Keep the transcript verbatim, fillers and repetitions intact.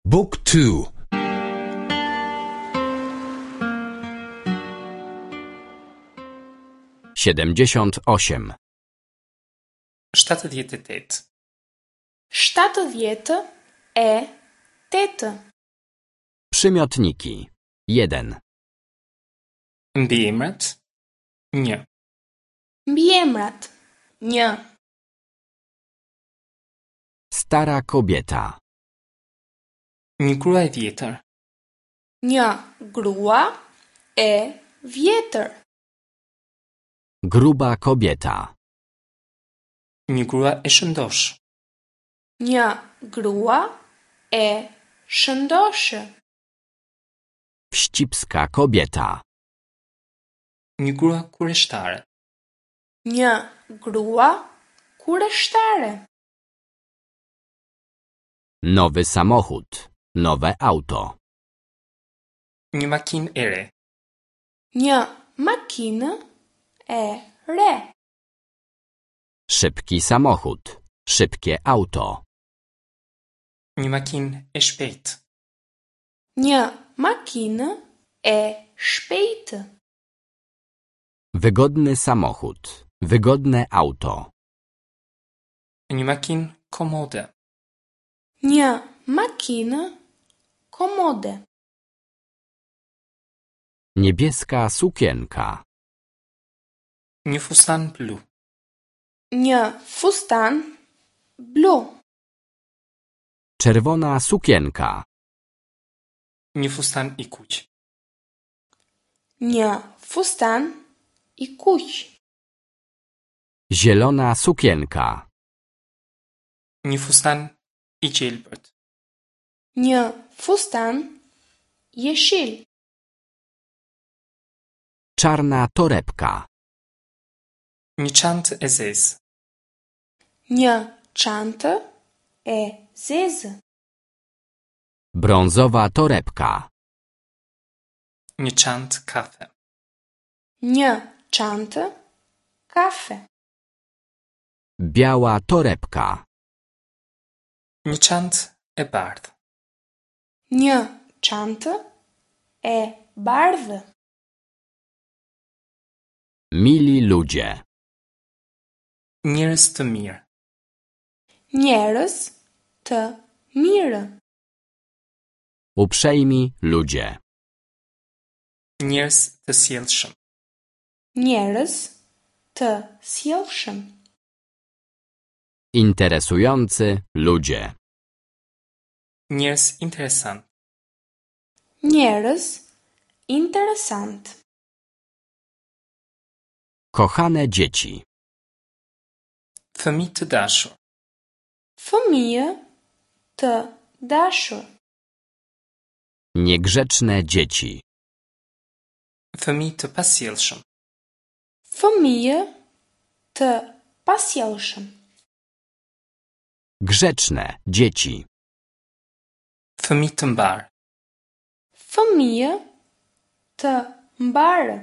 Book two. Siedemdziesiąt osiem. Shtatëdhjetë e tetë. Shtatëdhjetë e tetë. Przymiotniki. Jeden. Mbiemrat. Një. Mbiemrat. Një. Stara kobieta. Një grua e vjetër. Një grua e vjetër. Gruba kobieta. Një grua e shëndoshë. Një grua e shëndoshë. Wścibska kobieta. Një grua kureshtare. Një grua kureshtare. Nowy samochód. Nowe auto. Një makinë e re. Një makinë e re. Szybki samochód. Szybkie auto. Një makinë e shpejtë. Një makinë e shpejtë. Wygodny samochód. Wygodne auto. Një makinë komode. Një makinë komode. Niebieska sukienka. Një fustan blu. Një fustan blu. Czerwona sukienka. Një fustan i kuq. Një fustan i kuq. Zielona sukienka. Një fustan i gjelbërt. Një fustan jeshil. Czarna torebka. Një çantë e zezë. Një çantë e zezë. Brązowa torebka. Një çantë kafe. Një çantë kafe. Biała torebka. Një çantë e bardhë. Një çantë e bardhë. Mili ludzie. Njerëz të mirë. Njerëz të mirë. Uprzejmi ludzie. Njerëz të sjellshëm. Njerëz të sjellshëm. Interesujący ludzie. Njerëz interesant. Njerëz interesant. Kochane dzieci. Fëmijë të dashur. Fëmijë të dashur. Niegrzeczne dzieci. Fëmijë të pasjellshëm. Fëmijë të pasjellshëm. Grzeczne dzieci. Fëmijë të mbar. Fëmijë të mbarë.